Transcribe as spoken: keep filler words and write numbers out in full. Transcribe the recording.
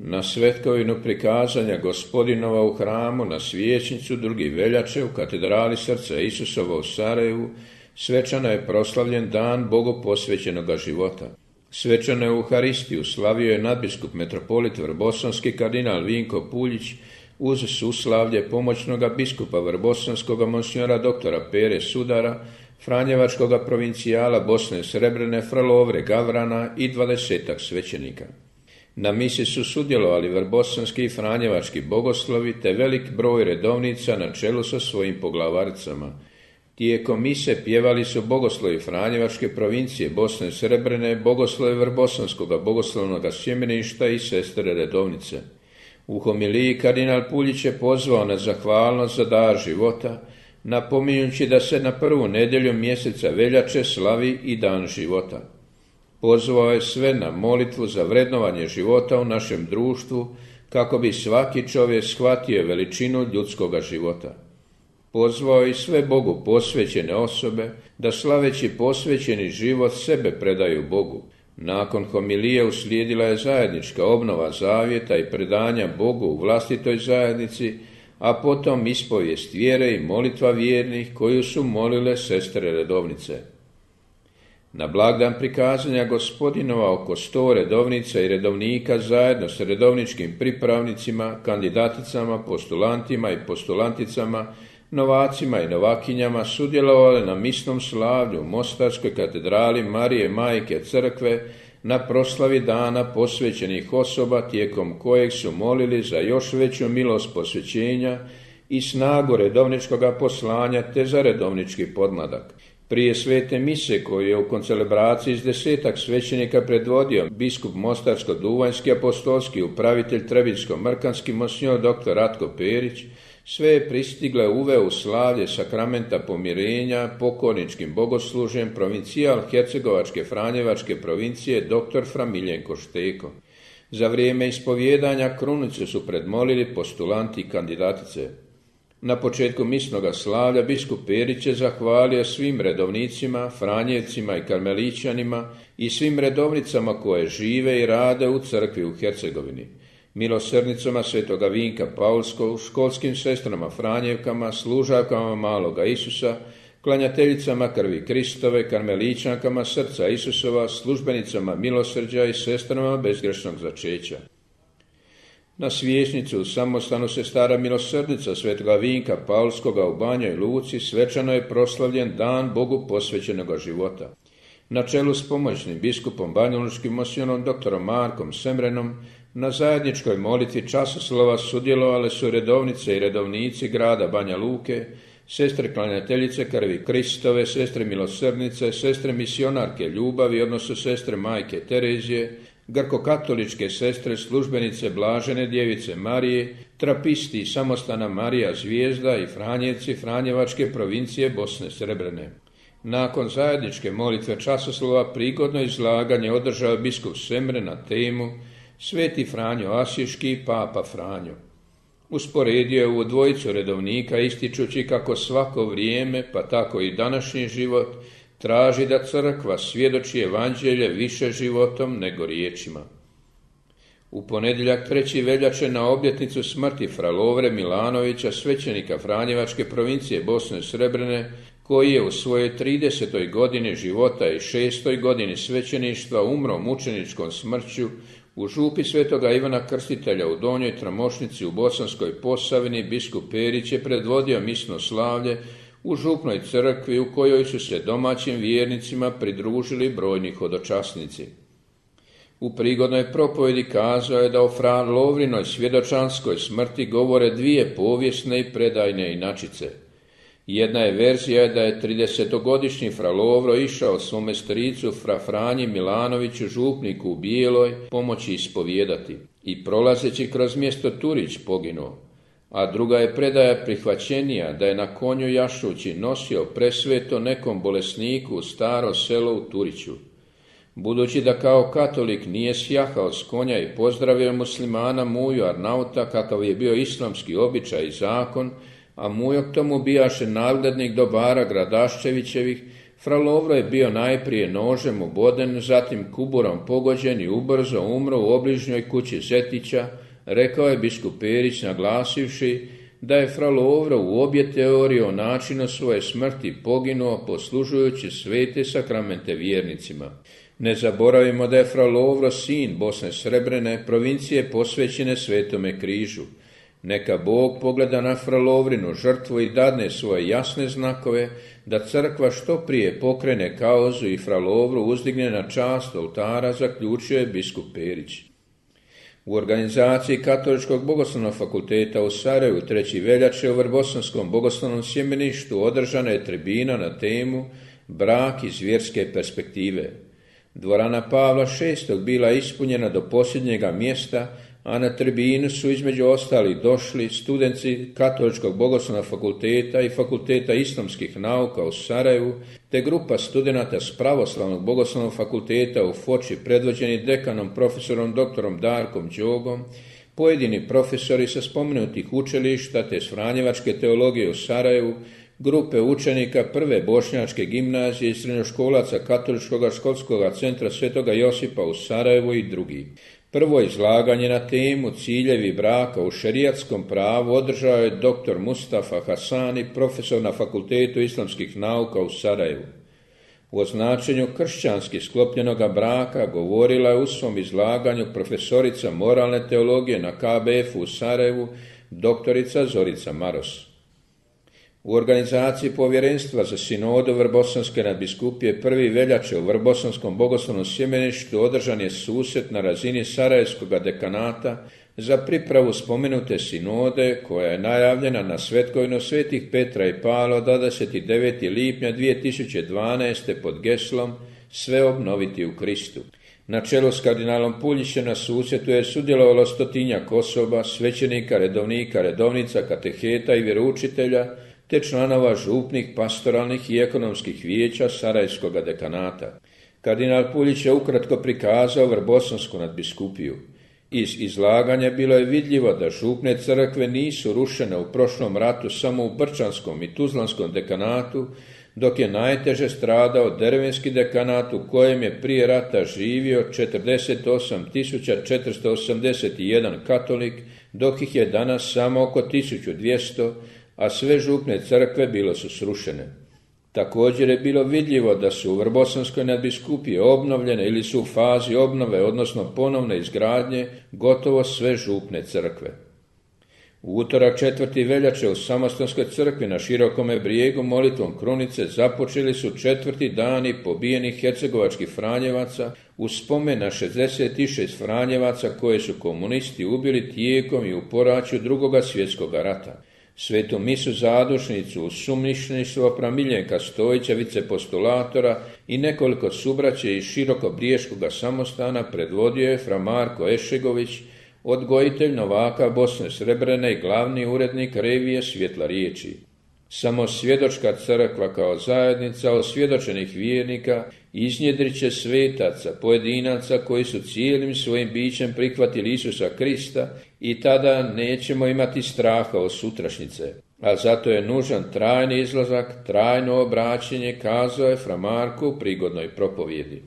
Na svetkovinu prikazanja Gospodinova u hramu na Svijećnicu drugi veljače u katedrali Srca Isusova u Sarajevu svečano je proslavljen dan Bogu posvećenoga života. Svečanu Euharistiju slavio je nadbiskup metropolit Vrbosanski kardinal Vinko Puljić uz suslavlje pomoćnoga biskupa Vrbosanskoga monsignora doktora Pere Sudara, franjevačkoga provincijala Bosne Srebrene fra Lovre Gavrana i dvadesetak svećenika. Na misi su sudjelovali vrbosanski i franjevački bogoslovi te velik broj redovnica na čelu sa svojim poglavaricama. Tijekom mise pjevali su bogoslovi franjevačke provincije Bosne Srebrene, bogoslovi vrbosanskoga bogoslovnog sjemeništa i sestre redovnice. U homiliji kardinal Puljić je pozvao na zahvalnost za dar života, napominjući da se na prvu nedjelju mjeseca veljače slavi i dan života. Pozvao je sve na molitvu za vrednovanje života u našem društvu, kako bi svaki čovjek shvatio veličinu ljudskoga života. Pozvao je sve Bogu posvećene osobe da slaveći posvećeni život sebe predaju Bogu. Nakon homilije uslijedila je zajednička obnova zavjeta i predanja Bogu u vlastitoj zajednici, a potom ispovijest vjere i molitva vjernih koju su molile sestre redovnice. Na blagdan prikazanja Gospodinova oko sto redovnica i redovnika zajedno s redovničkim pripravnicima, kandidaticama, postulantima i postulanticama, novacima i novakinjama sudjelovali na misnom slavlju u Mostarskoj katedrali Marije Majke Crkve na proslavi dana posvećenih osoba tijekom kojeg su molili za još veću milost posvećenja i snagu redovničkoga poslanja te za redovnički podmladak. Prije svete mise koju je u koncelebraciji s desetak svećenika predvodio biskup Mostarsko-Duvanjski apostolski upravitelj Trebinjsko-Mrkanski monsignor doktor Ratko Perić, sve je pristigle uveo u slavlje sakramenta pomirenja pokorničkim bogoslužjem provincijal Hercegovačke Franjevačke provincije doktor fra Miljenko Šteko. Za vrijeme ispovjedanja krunicu su predmolili postulanti i kandidatice. Na početku misnoga slavlja biskup Perić je zahvalio svim redovnicima, franjevcima i karmelićanima i svim redovnicama koje žive i rade u crkvi u Hercegovini, milosrdnicama svetoga Vinka Paulskog, školskim sestrama Franjevkama, služavkama maloga Isusa, klanjateljicama krvi Kristove, karmelićankama Srca Isusova, službenicama milosrđa i sestrama bezgrešnog začeća. Na Svijećnicu u samostanu sestara milosrdnica svetoga Vinka Paulskoga u Banjoj Luci svečano je proslavljen dan Bogu posvećenoga života. Na čelu s pomoćnim biskupom banjalučkim monsignorom doktorom Markom Semrenom na zajedničkoj molitvi časoslova sudjelovale su redovnice i redovnici grada Banja Luke, sestre klanjateljice krvi Kristove, sestre milosrdnice, sestre misionarke ljubavi, odnosno sestre majke Terezije, grkokatoličke sestre službenice Blažene djevice Marije, trapisti samostana Marija Zvijezda i franjevci Franjevačke provincije Bosne Srebrene. Nakon zajedničke molitve časoslova prigodno izlaganje održao biskup Semre na temu Sveti Franjo Asiški i Papa Franjo. Usporedio je ovu dvojicu redovnika ističući kako svako vrijeme, pa tako i današnji život, traži da crkva svjedoči evanđelje više životom nego riječima. U ponedjeljak treći veljače na obljetnicu smrti fra Lovre Milanovića, svećenika Franjevačke provincije Bosne Srebrene, koji je u svojoj tridesetoj godini života i šestoj godini svećeništva umro mučeničkom smrću u župi svetoga Ivana Krstitelja u Donjoj Tramošnici u Bosanskoj Posavini, biskup Perić je predvodio misno slavlje u župnoj crkvi u kojoj su se domaćim vjernicima pridružili brojni hodočasnici. U prigodnoj propovjedi kazao je da o fra Lovrinoj svjedočanskoj smrti govore dvije povijesne i predajne inačice. Jedna je verzija da je tridesetogodišnji fra Lovro išao svome stricu fra Franji Milanoviću, župniku u Bijeloj, pomoći ispovijedati i prolazeći kroz mjesto Turić poginuo. A druga je predaja prihvaćenija da je na konju jašući nosio presveto nekom bolesniku u staro selo u Turiću. Budući da kao katolik nije sjahao s konja i pozdravio muslimana Muju Arnauta kakav je bio islamski običaj i zakon, a Mujo k tomu bijaše nadglednik dobara Gradaščevićevih, Fra Lovro je bio najprije nožem oboden, zatim kuburom pogođen i ubrzo umro u obližnjoj kući Zetića, rekao je biskup Perić naglasivši da je fra Lovro u obje teorije o načinu svoje smrti poginuo poslužujući svete sakramente vjernicima. Ne zaboravimo da je fra Lovro sin Bosne Srebrene, provincije posvećene Svetome križu. Neka Bog pogleda na fra Lovrinu žrtvu i dadne svoje jasne znakove da crkva što prije pokrene kauzu i fra Lovru uzdigne na čast oltara, zaključio je biskup Perić. U organizaciji Katoličkog bogoslovnog fakulteta u Sarajevu treće veljače u Vrbosanskom bogoslovnom sjemeništu održana je tribina na temu Brak iz vjerske perspektive. Dvorana Pavla šestog bila ispunjena do posljednjega mjesta, a na tribinu su između ostalih došli studenti Katoličkog bogoslovnog fakulteta i Fakulteta islamskih nauka u Sarajevu, te grupa studenata s Pravoslavnog bogoslovnog fakulteta u Foči predvođeni dekanom profesorom doktorom Darkom Đogom, pojedini profesori sa spomenutih učilišta te s Franjevačke teologije u Sarajevu, grupe učenika prve bošnjačke gimnazije i srednjoškolaca Katoličkog školskog centra Svetoga Josipa u Sarajevu i drugi. Prvo izlaganje na temu ciljevi braka u šerijatskom pravu održao je doktor Mustafa Hasani, profesor na Fakultetu islamskih nauka u Sarajevu. O značenju kršćanski sklopljenoga braka govorila je u svom izlaganju profesorica moralne teologije na K B F u Sarajevu, doktorica Zorica Maros. U organizaciji Povjerenstva za sinodu Vrbosanske nadbiskupije prve veljače u Vrbosanskom bogoslovnom sjemeništu održan je susret na razini Sarajevskog dekanata za pripravu spomenute sinode koja je najavljena na svetkovinu svetih Petra i Pavla dvadeset devetog lipnja dvije tisuće dvanaeste. pod geslom Sve obnoviti u Kristu. Na čelu s kardinalom Puljićem na susretu je sudjelovalo stotinjak osoba, svećenika, redovnika, redovnica, kateheta i vjeroučitelja, te članova župnih, pastoralnih i ekonomskih vijeća Sarajevskog dekanata. Kardinal Puljić je ukratko prikazao Vrbosansku nadbiskupiju. Iz izlaganja bilo je vidljivo da župne crkve nisu rušene u prošlom ratu samo u Brčanskom i Tuzlanskom dekanatu, dok je najteže stradao Dervenski dekanat u kojem je prije rata živio četrdeset osam tisuća četiristo osamdeset jedan katolik, dok ih je danas samo oko tisuću dvjesto, a sve župne crkve bilo su srušene. Također je bilo vidljivo da su u Vrbosanskoj nadbiskupiji obnovljene ili su u fazi obnove, odnosno ponovne izgradnje, gotovo sve župne crkve. U utorak četvrte veljače u Samostalskoj crkvi na Širokome brijegu molitvom krunice započeli su četvrti dani pobijenih hercegovačkih Franjevaca u spomen na šezdeset šest Franjevaca koje su komunisti ubili tijekom i u poraću Drugoga svjetskog rata. Svetu misu zadušnicu uz sumništvo fra Miljenka Stojića, vicepostulatora i nekoliko subraće iz Širokobriješkoga samostana predvodio je fra Marko Ešegović, odgojitelj novaka Bosne Srebrene i glavni urednik revije Svjetla riječi. Samo svjedočka crkva kao zajednica osvjedočenih vjernika iznjedrit će svetaca, pojedinaca koji su cijelim svojim bićem prihvatili Isusa Krista i tada nećemo imati straha od sutrašnjice. A zato je nužan trajni izlazak, trajno obraćenje, kazao je fra Marko u prigodnoj propovjedi.